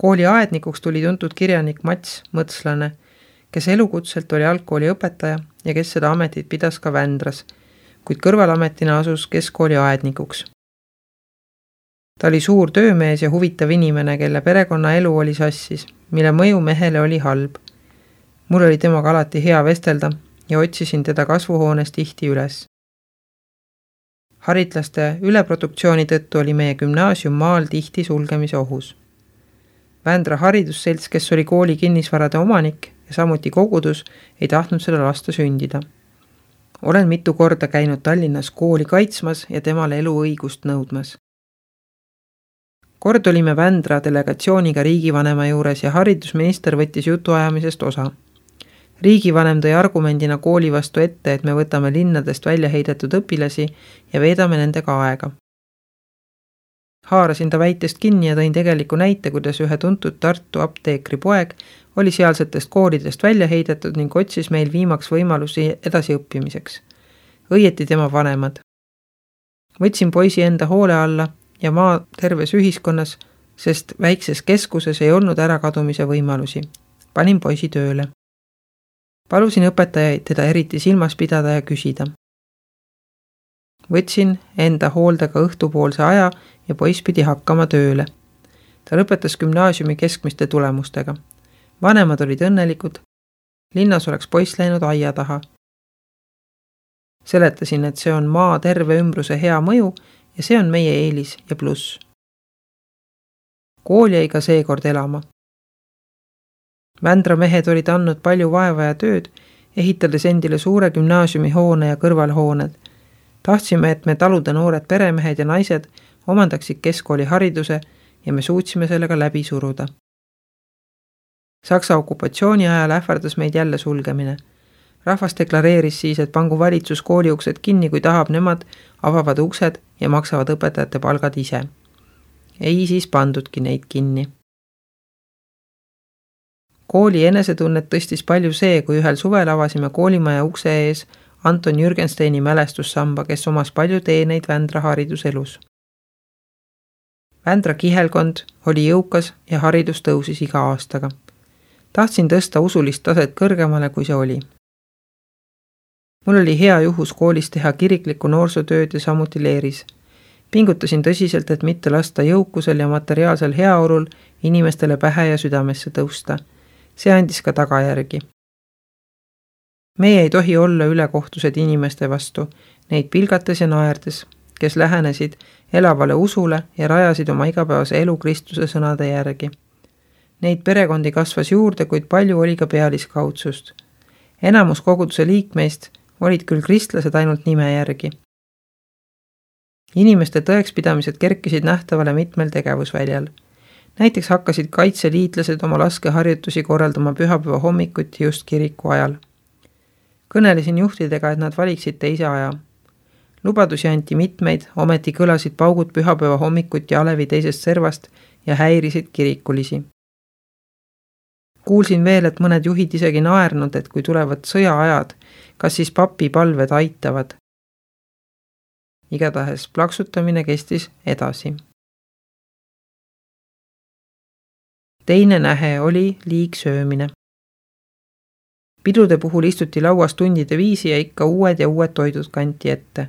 Kooli aednikuks tuli tuntud kirjanik Mats Mõtslane, kes elukutselt oli algkooli õpetaja ja kes seda ametit pidas ka Vändras, kuid kõrvalametina asus keskkooli aednikuks. Ta oli suur töömees ja huvitav inimene, kelle perekonna elu oli sassis, mille mõju mehele oli halb. Mul oli temaga alati hea vestelda ja otsisin teda kasvuhoones tihti üles. Haritlaste üleproduktsiooni tõttu oli meie gümnaasium maal tihti sulgemise ohus. Vändra haridusselts, kes oli kooli kinnisvarade omanik ja samuti kogudus, ei tahtnud seda lasta sündida. Olen mitu korda käinud Tallinnas kooli kaitsmas ja temale eluõigust nõudmas. Kord olime Vändra delegatsiooniga riigivanema juures ja haridusminister võttis jutuajamisest osa. Riigivanem tõi argumendina kooli vastu ette, et me võtame linnadest välja heidetud õpilasi ja veedame nendega aega. Haarasin ta väitest kinni ja tõin tegeliku näite, kuidas ühe tuntud Tartu apteekri poeg oli sealsetest koolidest välja heidetud ning otsis meil viimaks võimalusi edasi õppimiseks. Õieti tema vanemad. Võtsin poisi enda hoole alla ja maa terves ühiskonnas, sest väikses keskuses ei olnud ärakadumise võimalusi. Panin poisi tööle. Palusin õpetajaid teda eriti silmas pidada ja küsida. Võtsin enda hooldega õhtupoolse aja ja poiss pidi hakkama tööle. Ta lõpetas gümnaasiumi keskmiste tulemustega. Vanemad olid õnnelikud. Linnas oleks poiss läinud aia taha. Seletasin, et see on maa terve ümbruse hea mõju ja see on meie eelis ja pluss. Kool jäi ka seekord elama. Vändra mehed olid andnud palju vaeva ja tööd, ehitades endile suure gümnaasiumihoone ja kõrvalhooned. Tahtsime, et me talude noored peremehed ja naised omandaksid keskkooli hariduse ja me suutsime sellega läbi suruda. Saksa okupatsiooni ajal ähvardas meid jälle sulgemine. Rahvas deklareeris siis, et pangu valitsus kooli uksed kinni, kui tahab, nemad avavad uksed ja maksavad õpetajate palgad ise. Ei siis pandudki neid kinni. Kooli enesetunnet tõstis palju see, kui ühel suvel avasime koolimaja ukse ees Anton Jürgensteini mälestussamba, kes omas palju teeneid Vändra hariduselus. Vändra kihelkond oli jõukas ja haridus tõusis iga aastaga. Tahtsin tõsta usulist taset kõrgemale, kui see oli. Mul oli hea juhus koolis teha kiriklikku noorsootööd ja samuti leeris. Pingutasin tõsiselt, et mitte lasta jõukusel ja materiaalsel heaolul inimestele pähe ja südamesse tõusta. See andis ka tagajärgi. Meie ei tohi olla ülekohtused inimeste vastu, neid pilgates ja naerdes, kes lähenesid elavale usule ja rajasid oma igapäevase elu Kristuse sõnade järgi. Neid perekondi kasvas juurde, kuid palju oli ka pealiskaudsust. Enamus koguduse liikmeist olid küll kristlased ainult nime järgi. Inimeste tõekspidamised kerkisid nähtavale mitmel tegevusväljal. Näiteks hakkasid kaitseliitlased oma laskeharjutusi korraldama pühapäeva hommikuti just kiriku ajal. Kõnelesin juhtidega, et nad valiksid teise aja. Lubadusi anti mitmeid, ometi kõlasid paugud pühapäeva hommikuti alevi teisest servast ja häirisid kirikulisi. Kuulsin veel, et mõned juhid isegi naernud, et kui tulevad sõjaajad, kas siis papi palved aitavad. Igatahes plaksutamine kestis edasi. Teine nähe oli liigsöömine. Pidude puhul istuti lauas tundide viisi ja ikka uued toidud kanti ette.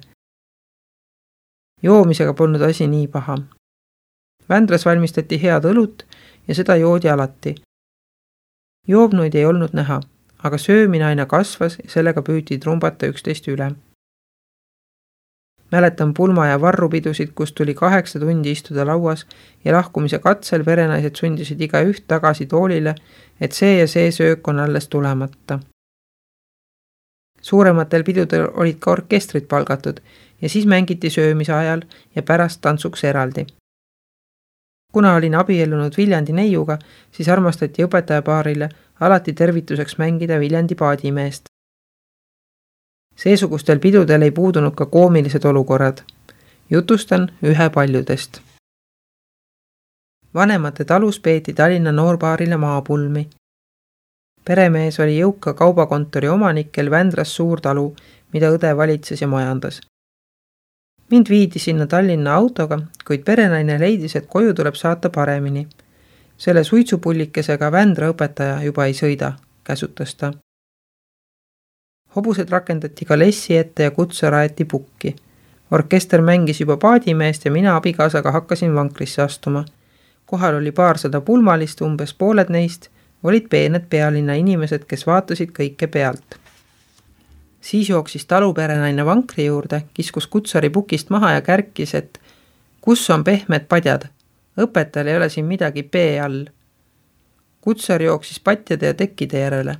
Joomisega polnud asi nii paha. Vändras valmistati head õlut ja seda joodi alati. Joobnuid ei olnud näha, aga söömine aina kasvas ja sellega püüti trumbata 11 üle. Mäletan pulma ja varrupidusid, kus tuli 8 tundi istuda lauas ja lahkumise katsel perenaised sundisid iga üht tagasi toolile, et see ja see söök on alles tulemata. Suurematel pidudel olid ka orkestrid palgatud ja siis mängiti söömise ajal ja pärast tantsuks eraldi. Kuna olin abiellunud Viljandi neiuga, siis armastati õpetajapaarile alati tervituseks mängida Viljandi paadimeest. Seesugustel pidudel ei puudunud ka koomilised olukorrad. Jutustan ühe paljudest. Vanemate talus peeti Tallinna noorbaarile maapulmi. Peremees oli jõuka kaubakontori omanik, kel Vändras suur talu, mida õde valitses ja majandas. Mind viidi sinna Tallinna autoga, kuid perenaine leidis, et koju tuleb saata paremini. Selle suitsupullikesega Vändra õpetaja juba ei sõida, käsutas ta. Hobused rakendati ka lessi ette ja kutse raeti pukki. Orkester mängis juba paadimeest ja mina abikaasaga hakkasin vankrisse astuma. Kohal oli paarsada pulmalist, umbes pooled neist olid peened pealinna inimesed, kes vaatasid kõike pealt. Siis jooksis taluperenaine vankri juurde, kiskus kutsari pukist maha ja kärkis, et kus on pehmed padjad? Õpetajal ei ole siin midagi pee all. Kutsar jooksis patjade ja tekkide järele.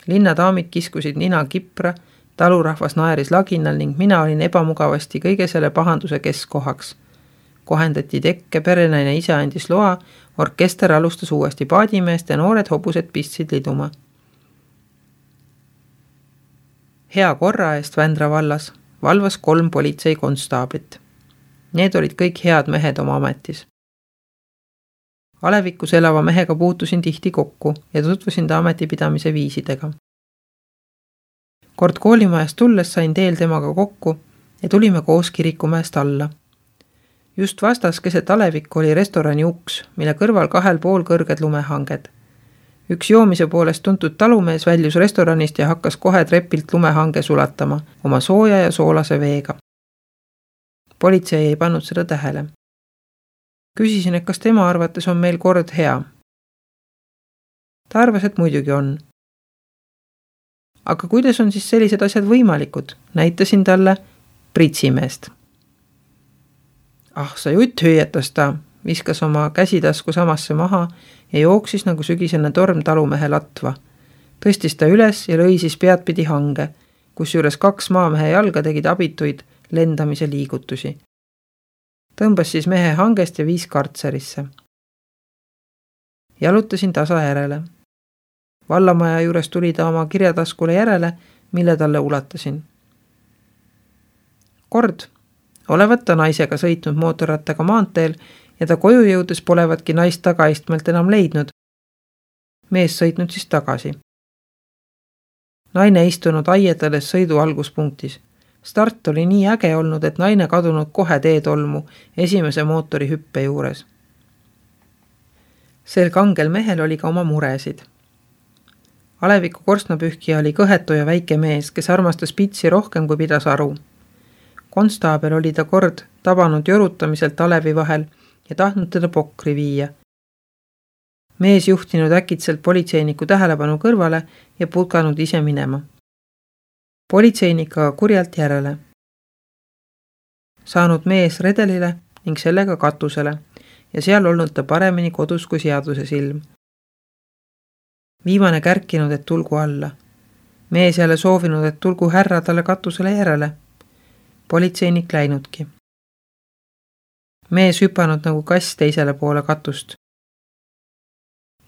Linnadaamid kiskusid nina kipra, talurahvas naeris laginal ning mina olin ebamugavasti kõige selle pahanduse keskkohaks. Kohendati tekke, perenaine ise andis loa, orkester alustas uuesti paadimeest ja noored hobused pistsid liduma. Hea korra eest Vändra vallas valvas 3 politseikonstaablit. Need olid kõik head mehed oma ametis. Alevikus elava mehega puutusin tihti kokku ja tutvusin ta ametipidamise viisidega. Kord koolimajast tulles sain teel temaga kokku ja tulime koos kirikumäest alla. Just vastas keset Alevikku oli restorani uks, mille kõrval 2 pool kõrged lumehanged. Üks joomise poolest tuntud talumees väljus restoranist ja hakkas kohe trepilt lumehange sulatama oma sooja ja soolase veega. Politsei ei pannud seda tähele. Küsisin, et kas tema arvates on meil kord hea. Ta arvas, et muidugi on. Aga kuidas on siis sellised asjad võimalikud? Näitasin talle pritsimeest. Sa jutt hüüetas ta, viskas oma käsitasku samasse maha ja jooksis nagu sügisene torm talumehe latva. Tõstis ta üles ja lõisis peadpidi hange, kus juures 2 maamehe jalga tegid abituid lendamise liigutusi. Tõmbas siis mehe hangest ja viis kartserisse. Jalutasin tasa järele. Vallamaja juures tuli ta oma kirjataskule järele, mille talle ulatasin. Kord olevat ta naisega sõitnud mootorrattaga maanteel ja ta koju jõudes polevatki naist tagaistmelt enam leidnud. Mees sõitnud siis tagasi. Naine istunud aietades sõidu alguspunktis. Start oli nii äge olnud, et naine kadunud kohe teetolmu esimese mootori hüppe juures. Sel kangel mehel oli ka oma muresid. Aleviku korstnapühkija oli kõhetu ja väike mees, kes armastas pitsi rohkem kui pidas aru. Konstaabel oli ta kord tabanud jorutamiselt Alevi vahel ja tahtnud teda pokri viia. Mees juhtinud äkitselt politseiniku tähelepanu kõrvale ja putkanud ise minema. Politseinik aga kurjalt järele. Saanud mees redelile ning sellega katusele ja seal olnud ta paremini kodus kui seaduse silm. Viimane kärkinud, et tulgu alla. Mees jälle soovinud, et tulgu härra talle katusele järele. Politseinik läinudki. Mees hüpanud nagu kass teisele poole katust.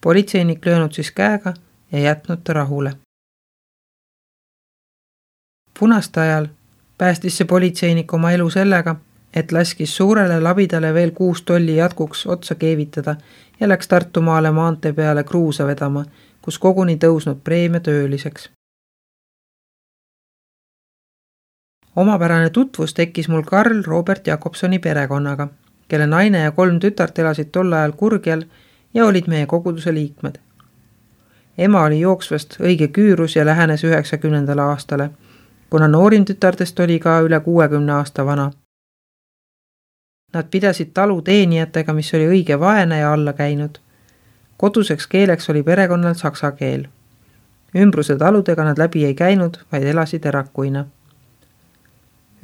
Politseinik löönud siis käega ja jätnud ta rahule. Punaste ajal päästis see politseinik oma elu sellega, et laskis suurele labidale veel 6 tolli jatkuks otsa keevitada ja läks Tartumaale maantee peale kruusa vedama, kus koguni tõusnud preemia tööliseks. Omapärane tutvus tekkis mul Karl Robert Jakobsoni perekonnaga, kelle naine ja 3 tütart elasid tol ajal Kurgjal ja olid meie koguduse liikmed. Ema oli jooksvast õige küürus ja lähenes 90. aastale, kuna noorim tütartest oli ka üle 60 aasta vana. Nad pidasid talu teenijatega, mis oli õige vaene ja alla käinud. Koduseks keeleks oli perekonnal saksa keel. Ümbruse taludega nad läbi ei käinud, vaid elasid erakuina.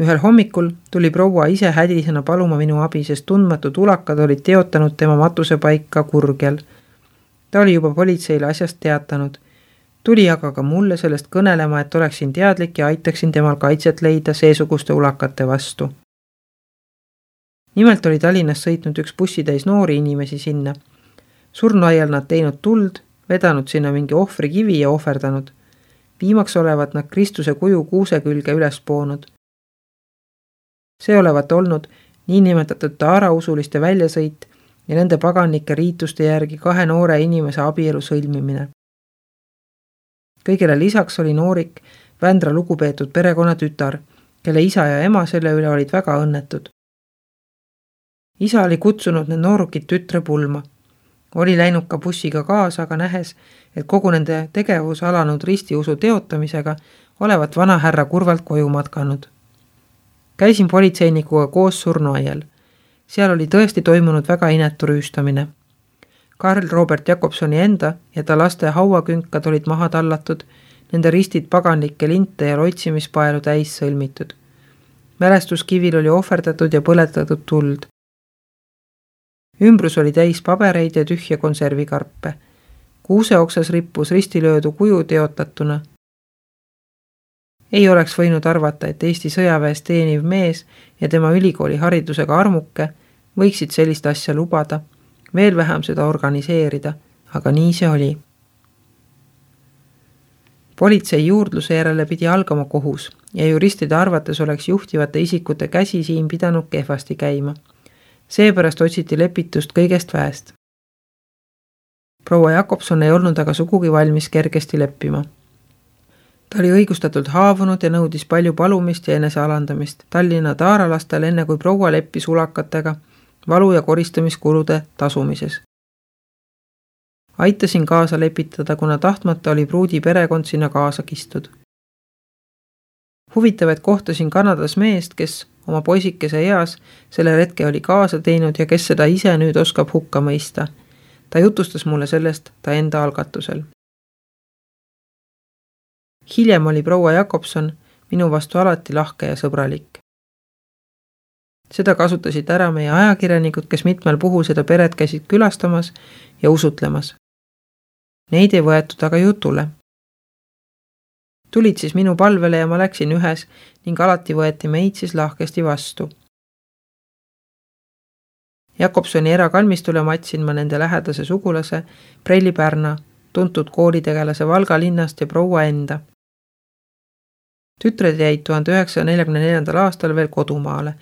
Ühel hommikul tuli proua ise hädisena paluma minu abi, sest tundmatud ulakad olid teotanud tema matusepaika Kurgjal. Ta oli juba politseile asjast teatanud. Tuli aga ka mulle sellest kõnelema, et oleksin teadlik ja aitaksin temal kaitset leida seesuguste ulakate vastu. Nimelt oli Tallinnas sõitnud üks bussitäis noori inimesi sinna. Surnuaial nad teinud tuld, vedanud sinna mingi ohvri kivi ja ohverdanud. Viimaks olevat nad Kristuse kuju kuuse külge üles poonud. See olevat olnud niinimetatud taarausuliste väljasõit ja nende paganlike riituste järgi 2 noore inimese abielu sõlmimine. Kõigele lisaks oli noorik Vändra lugupeetud perekonna tütar, kelle isa ja ema selle üle olid väga õnnetud. Isa oli kutsunud need noorukid tütre pulma. Oli läinud ka bussiga kaasa, aga nähes, et kogu nende tegevus alanud ristiusu teotamisega olevat vana härra kurvalt koju matkanud. Käisin politseinikuga koos surnuaial. Seal oli tõesti toimunud väga inetu rüüstamine. Karl Robert Jakobsoni enda ja ta laste hauakünkad olid maha tallatud, nende ristid paganlikke linte ja loitsimispaelu täis sõlmitud. Mälestuskivil oli ohverdatud ja põletatud tuld. Ümbrus oli täis pabereid ja tühja konservikarpe. Kuuse oksas rippus ristilöödu kuju teotatuna. Ei oleks võinud arvata, et Eesti sõjaväes teeniv mees ja tema ülikooli haridusega armuke võiksid sellist asja lubada, veel vähem seda organiseerida, aga nii see oli. Politsei juurdluse järele pidi algama kohus ja juristide arvates oleks juhtivate isikute käsi siin pidanud kehvasti käima. Seepärast otsiti lepitust kõigest väest. Proua Jakobson ei olnud aga sugugi valmis kergesti leppima. Ta oli õigustatult haavunud ja nõudis palju palumist ja enesealandamist Tallinna taaralastel enne kui proua leppis ulakatega valu- ja koristamiskulude tasumises. Aitasin kaasa lepitada, kuna tahtmata oli pruudi perekond sinna kaasa kistud. Huvitav, et kohtasin Kanadas meest, kes oma poisikese eas selle retke oli kaasa teinud ja kes seda ise nüüd oskab hukka mõista. Ta jutustas mulle sellest ta enda algatusel. Hiljem oli proua Jakobson minu vastu alati lahke ja sõbralik. Seda kasutasid ära meie ajakirjanikud, kes mitmel puhul seda peret käisid külastamas ja usutlemas. Neid ei võetud aga jutule. Tulid siis minu palvele ja ma läksin ühes ning alati võeti meid siis lahkesti vastu. Jakobsoni erakalmistule matsin ma nende lähedase sugulase Preili Pärna, tuntud koolitegelase Valga linnast ja proua enda. Tütred jäid 1944. aastal veel kodumaale.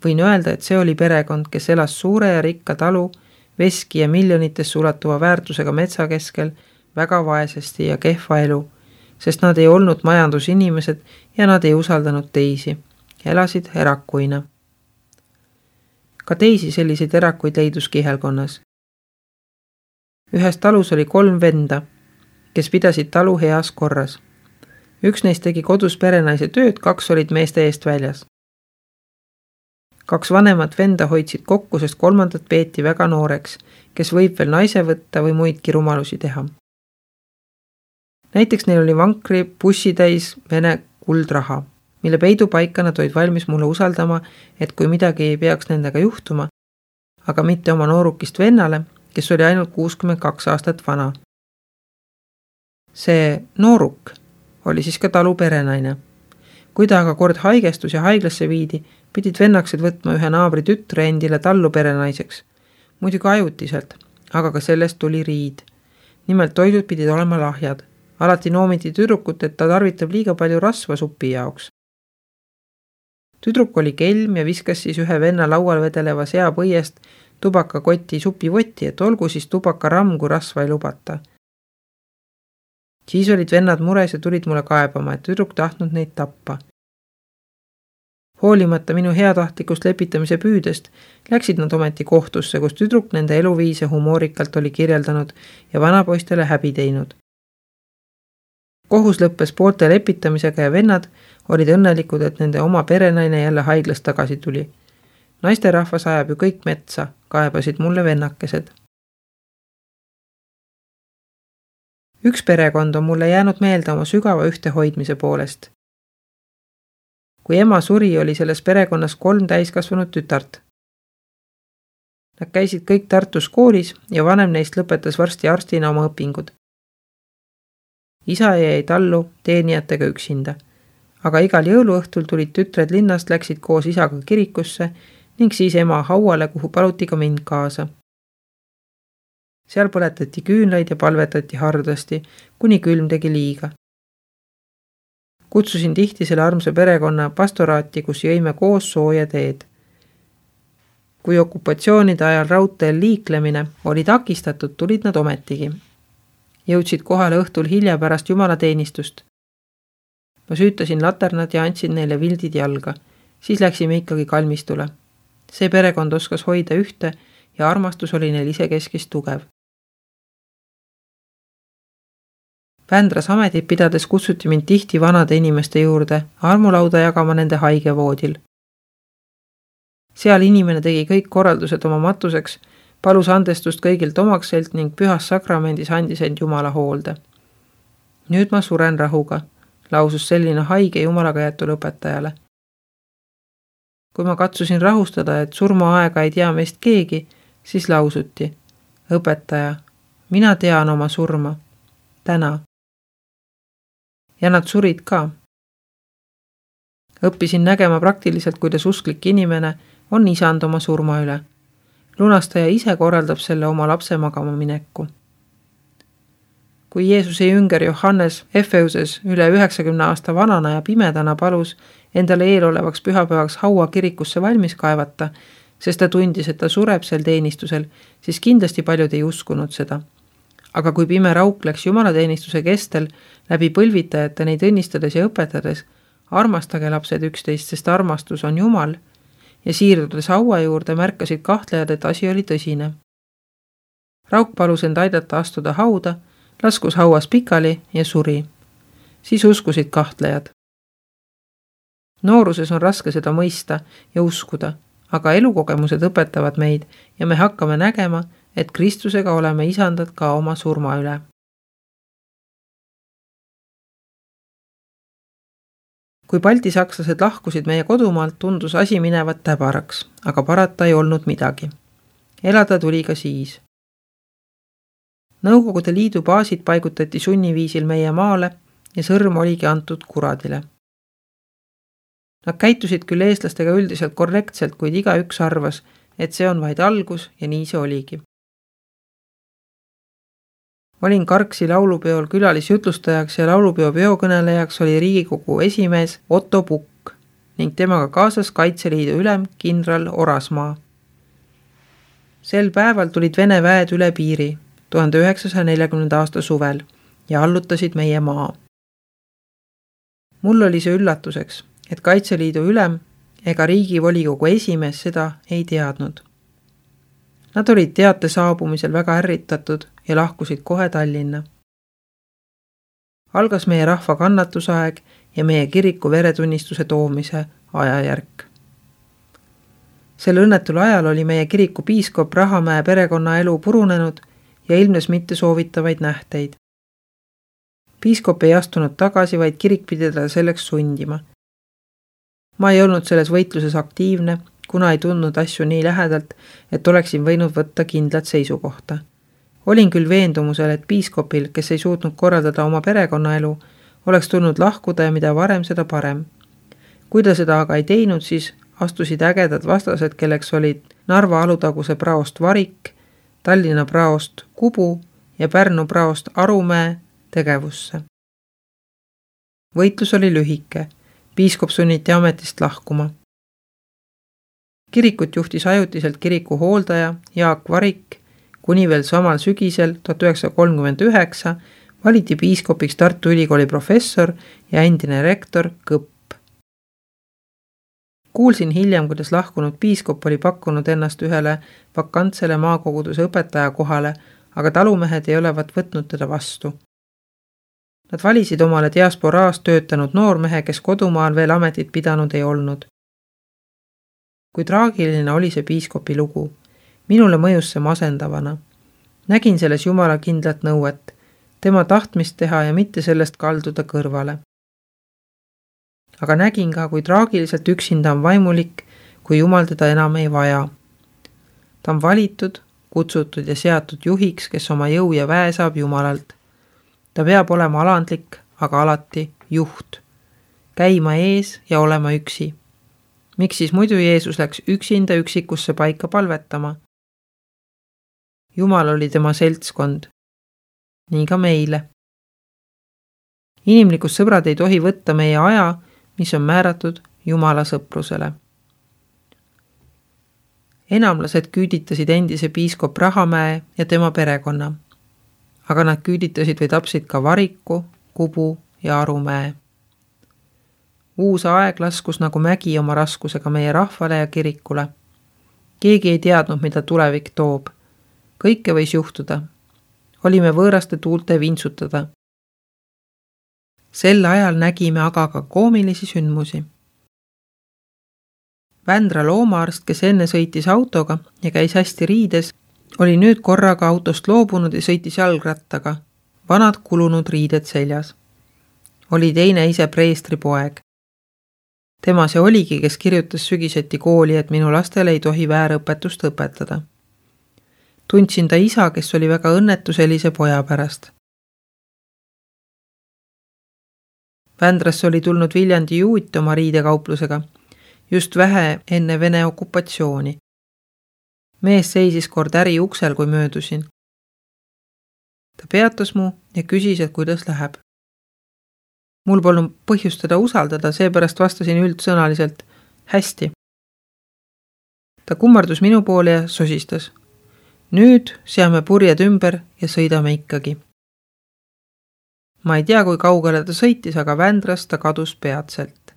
Võin öelda, et see oli perekond, kes elas suure ja rikka talu, veski ja miljonitesse ulatuva väärtusega metsa keskel väga vaesesti ja kehva elu, sest nad ei olnud majandusinimesed ja nad ei usaldanud teisi, elasid erakuina. Ka teisi selliseid erakuid leidus kihelkonnas. Ühes talus oli 3 venda, kes pidasid talu heas korras. Üks neist tegi kodus perenaise tööd, 2 olid meeste eest väljas. 2 vanemat venda hoidsid kokku, sest 3. peeti väga nooreks, kes võib veel naise võtta või muidki rumalusi teha. Näiteks neil oli vankri bussitäis Vene kuldraha, mille peidupaika nad olid valmis mulle usaldama, et kui midagi ei peaks nendega juhtuma, aga mitte oma noorukist vennale, kes oli ainult 62 aastat vana. See nooruk oli siis ka talu perenaine. Kui ta aga kord haigestus ja haiglasse viidi, pidid vennaksed võtma ühe naabri tütre endile tallu perenaiseks. Muidugi ajutiselt, aga ka sellest tuli riid. Nimelt toidud pidid olema lahjad. Alati noomiti tüdrukut, et ta tarvitab liiga palju rasva supi jaoks. Tüdruk oli kelm ja viskas siis ühe venna laual vedeleva seapõiest tubakakoti supivotti, et olgu siis tubakaramm, kui rasva ei lubata. Siis olid vennad mures ja tulid mulle kaebama, et tüdruk tahtnud neid tappa. Hoolimata minu heatahtlikust lepitamise püüdest, läksid nad ometi kohtusse, kus tüdruk nende eluviise humoorikalt oli kirjeldanud ja vanapoistele häbi teinud. Kohus lõppes poolte lepitamisega ja vennad olid õnnelikud, et nende oma perenaine jälle haiglast tagasi tuli. Naisterahvas ajab ju kõik metsa, kaebasid mulle vennakesed. Üks perekond on mulle jäänud meelde oma sügava ühtehoidmise poolest. Kui ema suri, oli selles perekonnas 3 täiskasvanud tütart. Nad käisid kõik Tartus koolis ja vanem neist lõpetas varsti arstina oma õpingud. Isa jäi tallu teenijatega üksinda, aga igal jõuluõhtul tulid tütred linnast, läksid koos isaga kirikusse ning siis ema hauale, kuhu paluti ka mind kaasa. Seal põletati küünlaid ja palvetati hardasti, kuni külm tegi liiga. Kutsusin tihti selle armsa perekonna pastoraati, kus jõime koos sooja teed. Kui okupatsioonide ajal raudteel liiklemine oli takistatud, tulid nad ometigi. Jõudsid kohale õhtul hilja pärast jumalateenistust. Ma süütasin laternad ja andsin neile vildid jalga. Siis läksime ikkagi kalmistule. See perekond oskas hoida ühte ja armastus oli neil isekeskis tugev. Vändras ametit pidades kutsuti mind tihti vanade inimeste juurde armulauda jagama nende haigevoodil. Seal inimene tegi kõik korraldused oma matuseks, palus andestust kõigilt omakselt ning pühas sakramendis andis end Jumala hoolde. Nüüd ma suren rahuga, lausus selline haige Jumalaga jäetul õpetajale. Kui ma katsusin rahustada, et surmaaega ei tea meist keegi, siis lausuti: õpetaja, mina tean oma surma. Täna. Ja nad surid ka. Õppisin nägema praktiliselt, kuidas usklik inimene on isand oma surma üle. Lunastaja ise korraldab selle oma lapse magama mineku. Kui Jeesuse jünger Johannes Efeuses üle 90 aasta vanana ja pimedana palus endale eelolevaks pühapäevaks haua kirikusse valmis kaevata, sest ta tundis, et ta sureb sel teenistusel, siis kindlasti paljud ei uskunud seda. Aga kui pime rauk läks jumalateenistuse kestel läbi põlvitajate neid õnnistades ja õpetades, armastage lapsed üksteist, sest armastus on Jumal, ja siirdudes haua juurde märkasid kahtlejad, et asi oli tõsine. Rauk palus end aidata astuda hauda, laskus hauas pikali ja suri. Siis uskusid kahtlejad. Nooruses on raske seda mõista ja uskuda, aga elukogemused õpetavad meid ja me hakkame nägema, et Kristusega oleme isandad ka oma surma üle. Kui baltisakslased lahkusid meie kodumaalt, tundus asi minevat täbaraks, aga parata ei olnud midagi. Elada tuli ka siis. Nõukogude Liidu baasid paigutati sunniviisil meie maale ja sõrm oligi antud kuradile. Nad käitusid küll eestlastega üldiselt korrektselt, kuid igaüks arvas, et see on vaid algus ja nii see oligi. Olin Karksi laulupeol külalisjutlustajaks ja laulupeo peokõnelejaks oli Riigikogu esimees Otto Pukk ning temaga kaasas Kaitseliidu ülem kindral Orasmaa. Sel päeval tulid Vene väed üle piiri 1940. aasta suvel ja allutasid meie maa. Mul oli see üllatuseks, et Kaitseliidu ülem ega Riigivolikogu esimees seda ei teadnud. Nad olid teate saabumisel väga ärritatud ja lahkusid kohe Tallinna. Algas meie rahva kannatusaeg ja meie kiriku veretunnistuse toomise ajajärk. Sel õnnetul ajal oli meie kiriku piiskop Rahamäe perekonna elu purunenud ja ilmnes mitte soovitavaid nähteid. Piiskop ei astunud tagasi, vaid kirik pidi teda selleks sundima. Ma ei olnud selles võitluses aktiivne, kuna ei tundnud asju nii lähedalt, et oleksin võinud võtta kindlat seisukohta. Olin küll veendumusel, et piiskopil, kes ei suutnud korraldada oma perekonnaelu, oleks tulnud lahkuda ja mida varem, seda parem. Kui ta seda aga ei teinud, siis astusid ägedad vastased, kelleks olid Narva Alutaguse praost Varik, Tallinna praost Kubu ja Pärnu praost Arumäe tegevusse. Võitlus oli lühike. Piiskop sunniti ametist lahkuma. Kirikut juhtis ajutiselt kiriku hooldaja Jaak Varik, kuni veel samal sügisel 1939 valiti piiskopiks Tartu Ülikooli professor ja endine rektor Kõpp. Kuulsin hiljem, kuidas lahkunud piiskop oli pakkunud ennast ühele vakantsele maakoguduse õpetaja kohale, aga talumehed ei olevat võtnud teda vastu. Nad valisid omale diasporaas töötanud noormehe, kes kodumaal veel ametit pidanud ei olnud. Kui traagiline oli see piiskopi lugu. Minule mõjus see masendavana. Nägin selles Jumala kindlat nõuet, tema tahtmist teha ja mitte sellest kalduda kõrvale. Aga nägin ka, kui traagiliselt üksinda on vaimulik, kui Jumal teda enam ei vaja. Ta on valitud, kutsutud ja seatud juhiks, kes oma jõu ja väe saab Jumalalt. Ta peab olema alandlik, aga alati juht. Käima ees ja olema üksi. Miks siis muidu Jeesus läks üksinda üksikusse paika palvetama? Jumal oli tema seltskond. Nii ka meile. Inimlikus sõbrad ei tohi võtta meie aja, mis on määratud Jumala sõprusele. Enamlased küüditasid endise piiskop Rahamäe ja tema perekonna. Aga nad küüditasid või tapsid ka Variku, Kubu ja Arumäe. Uus aeg laskus nagu mägi oma raskusega meie rahvale ja kirikule. Keegi ei teadnud, mida tulevik toob. Kõike võis juhtuda. Olime võõraste tuulte vintsutada. Sel ajal nägime aga ka koomilisi sündmusi. Vändra loomaarst, kes enne sõitis autoga ja käis hästi riides, oli nüüd korraga autost loobunud ja sõitis jalgrattaga, vanad kulunud riided seljas. Oli teine ise preestri poeg. Tema see oligi, kes kirjutas sügiseti kooli, et minu lastele ei tohi väärõpetust õpetada. Tundsin ta isa, kes oli väga õnnetu sellise poja pärast. Vändrasse oli tulnud Viljandi Juut oma riidekauplusega, just vähe enne Vene okupatsiooni. Mees seisis kord äri uksel, kui möödusin. Ta peatas mu ja küsis, et kuidas läheb. Mul polnud põhjust teda usaldada, seepärast vastasin üldsõnaliselt hästi. Ta kummardus minu poole ja sosistas. Nüüd seame purjed ümber ja sõidame ikkagi. Ma ei tea, kui kaugele ta sõitis, aga Vändrast ta kadus peatselt.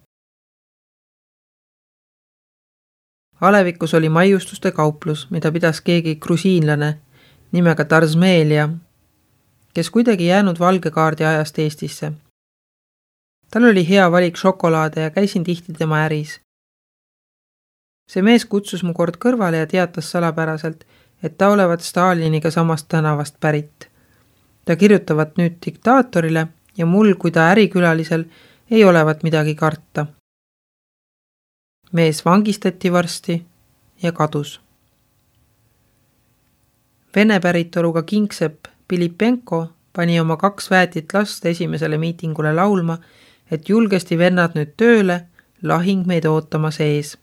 Alevikus oli maiustuste kauplus, mida pidas keegi grusiinlane nimega Tarzmeelia, kes kuidagi jäänud valgekaardi ajast Eestisse. Tal oli hea valik šokolaade ja käisin tihti tema äris. See mees kutsus mu kord kõrvale ja teatas salapäraselt, et ta olevat Staliniga samast tänavast pärit. Ta kirjutavat nüüd diktaatorile ja mul, kui ta ärikülalisel, ei olevat midagi karta. Mees vangistati varsti ja kadus. Vene päritoluga kingsepp Pilipenko pani oma 2 väetit last esimesele miitingule laulma, et julgesti vennad nüüd tööle, lahing meid ootama sees.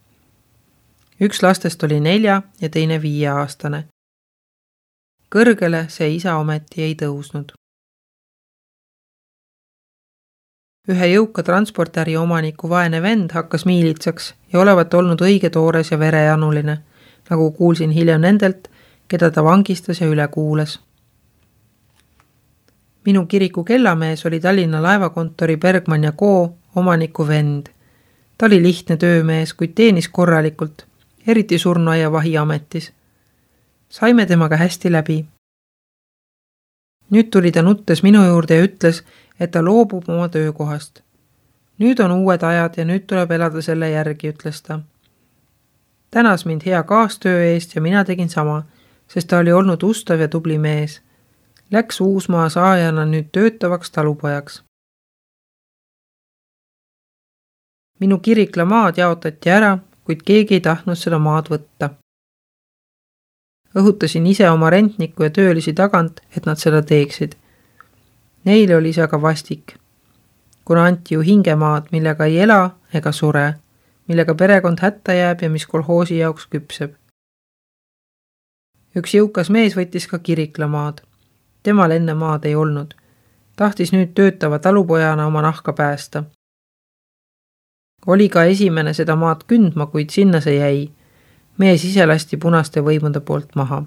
Üks lastest oli 4 ja teine 5-aastane. Kõrgele see isa ometi ei tõusnud. Ühe jõuka transportäri omaniku vaene vend hakkas miilitsaks ja olevat olnud õige toores ja verejanuline, nagu kuulsin hiljem nendelt, keda ta vangistas ja üle kuulas. Minu kiriku kellamees oli Tallinna laevakontori Bergman ja Co. omaniku vend. Ta oli lihtne töömees, kuid teenis korralikult, eriti surnuaia vahiametis. Saime temaga hästi läbi. Nüüd tuli ta nuttes minu juurde ja ütles, et ta loobub oma töökohast. Nüüd on uued ajad ja nüüd tuleb elada selle järgi, ütles ta. Tänas mind hea kaastöö eest ja mina tegin sama, sest ta oli olnud ustav ja tubli mees. Läks Uusmaa saajana nüüd töötavaks talupojaks. Minu kirikla maad jaotati ära, kuid keegi ei tahtnud seda maad võtta. Õhutasin ise oma rentniku ja töölisi tagant, et nad seda teeksid. Neile oli see aga vastik, kuna anti ju hingemaad, millega ei ela ega sure, millega perekond hätta jääb ja mis kolhoosi jaoks küpseb. Üks jõukas mees võttis ka kiriklamaad. Temal enne maad ei olnud. Tahtis nüüd töötava talupojana oma nahka päästa. Oli ka esimene seda maad kündma, kuid sinna see jäi. Mees ise lasti punaste võimude poolt maha.